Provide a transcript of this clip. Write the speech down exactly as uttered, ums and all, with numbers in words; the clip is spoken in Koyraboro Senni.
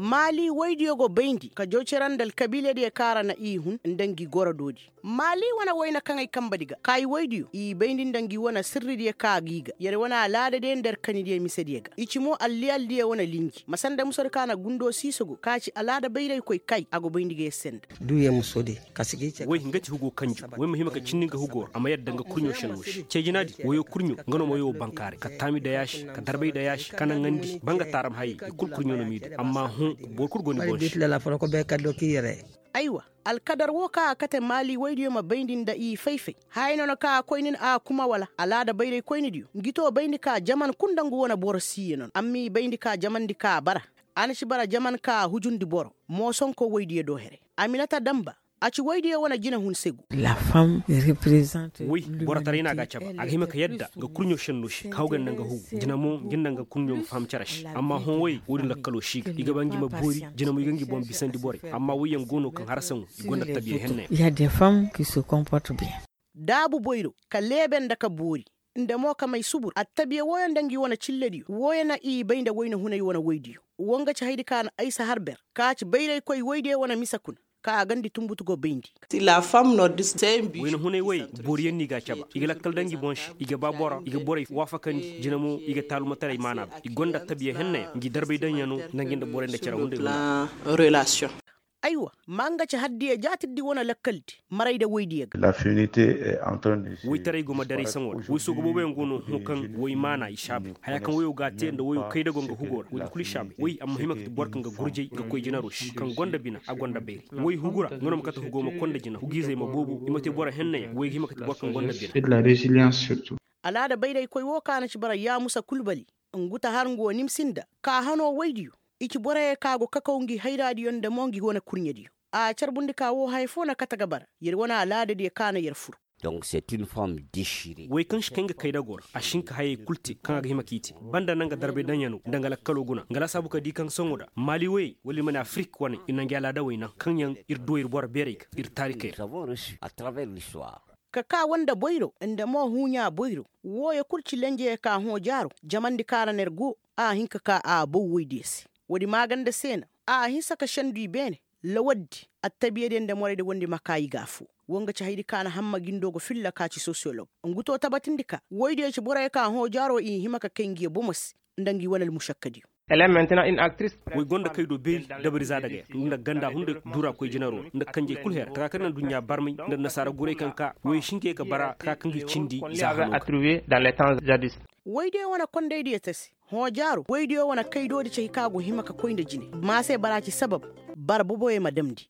Maali woydiyo go bayndi ka jaw cere nda alkabiiladiyo kaŋ ra na i hun nda ngi goro doodi. Maali wane wayna kaŋ ay kambadi ga ka i woydiyo i bayndi nda ngi wane sirridiyo kaŋ a g'i ga yer wane alaadadiyo nda yer kanidiyo misediyo ga i ci mo alliyaldiyo wane linji ma sanda musodi kaŋ a na gundo siisogo kaŋ a ci alaada bayraykoy kay a go bayndi ga yer se nda. Woy nga ci hugo kanju woy ma hima ka cindi nga hugo ra a ma yadda nga kurɲo senno se ceejinaadi woyo kurɲo nga no ma woyo bankaaray ka taami dayaasi ka darbay dayaasi ka naŋandi ba nga taaram hayey i kul kurɲo no m'i du amma hõ boro kul go ni boŋ se. Aywa, alkadar wo kaŋ a kate maali woydiyo ma bayndi nda i fay-fay haya no na kaŋ a koy nin a kuma wala alaada bayray koynidiyo ngi to bayndi ka jaman kul nda ngu wane boro siiye no na amma i bayndi ka jamandi ka a bara. A na ci bara jaman ka a hujundi boro moosonko woydiyo do here. Aminata damba a ci woydiyo wane jinahun se go. Woy, borotaray no a ga a caba a ga hima ka yadda nga kurɲo senno se ka hawgay nda nga hugu jina mo ngi nda nga kurɲo ma faham cere se amma hõ woy woodin lakkaloo si ga i ga ba ngi ma boori jina mo i ga ngi boŋ bisandi borey amma woyyaŋ go no kaŋ harasaŋo i gonda tabiya henna yaŋ. Daabu boyro ka leebe nda ka boori nda mo ka may subur attabiya wooyo nda ngi wane cillediyo wooyo na i bay nda wayna hunay wane woydiyo. Wo nga ci haydi ka na aysa har ber ka ci bayraykoy woydiyo wane mise kuna ka a gandi tunbutu go bayndi. Wayna hunay woyey booriyaŋ no i g'a caba i ga lakkal daŋ ngi boŋ se i ga ba boro i ga borey waafakandi jina mo i ga taalumataray maana ba i gonda attabiya henna yaŋ ngi darbay daŋ yaŋ no nda ngi nda borey nda cere hunday hunday. Aywa, ma nga ci haddiya jaatirdi wane lakkaldi maray nda woydiyo ga. Woytaray go ma daray saŋo ra woy sooga booboyaŋ go no hõ kaŋ woy maana i saabay haya kaŋ woyo g'a te nda woyo kaydago nga hugo ra woy kulu i saabay woy a ma hima ka ti boro kaŋ ga gurjay ga koy jinaro se kaŋ gonda bina a gonda bayray. Woy hugu ra nga no ma kate hugo ma konda jina hugiizey ma boobo i ma te boro henna yaŋ woy ga hima ka ti boro kaŋ gonda bina. Alaada bayraykoy wo kaŋ a na ci bara yaamusa kulbali ngu ta har ngu wo nimsi nda ka hano woydiyo i ci boroyo kaŋ a go kakaw ngi hayraadiyo nda mo ngi wane kurɲediyo. A carbundi ka wo haya foo na kate ga bara yer wane alaadadiyo kaŋ a na yer fur. Woy kaŋ si kay nga kaydago ra a si hin ka hayey kul te kaŋ a ga hima k'i te banda na nga darbay daŋyanoo nda nga lakkaloo guna nga laasaabu ka di kaŋ sohõ nda maali woyey wala ir ma ne afirik waney ir na ngi alaadawey naŋ kaŋ yaŋ ir du ir boro beerey ga ir taarikey ra. Ka kaa wanda boyro nda mo huuɲaa boyro wooyo kul ci lenjeyo ka hõ jaaro jamandi kaŋ a ra na yer go a hin ka kaa a bow woydiyo se. Woodi maaganda se na a hinsa ka sendu i beene lawaddi attabiyadiyo nda moraydi wondi ma kaa i ga afoo. Wo nga ci haydi ka na hamma gindo ga filla ka ci sosiyolog ngu to tabatindi ka woydiyo ci boroyo ka hõ jaaro i hima ka kay ngiyo bomo se nda ngi wane almušakkadiyo. Woy gonda kay do beeri dabari zaadagaya nda ganda hunday duura koy jinaro ra nda kanjey kul her taka kaŋ na aduɲɲa barmay nda nasaara guray kaŋ ka woy si hin ka ye ka bara taka kaŋ ga i cindi za hano ga. Woydiyo wane kondaydiyo te se hõ jaaro woydiyo wane kaydoodi cay ka go hima ka koy nda jine ma se bara ci sabab bara boboyo ma damndi.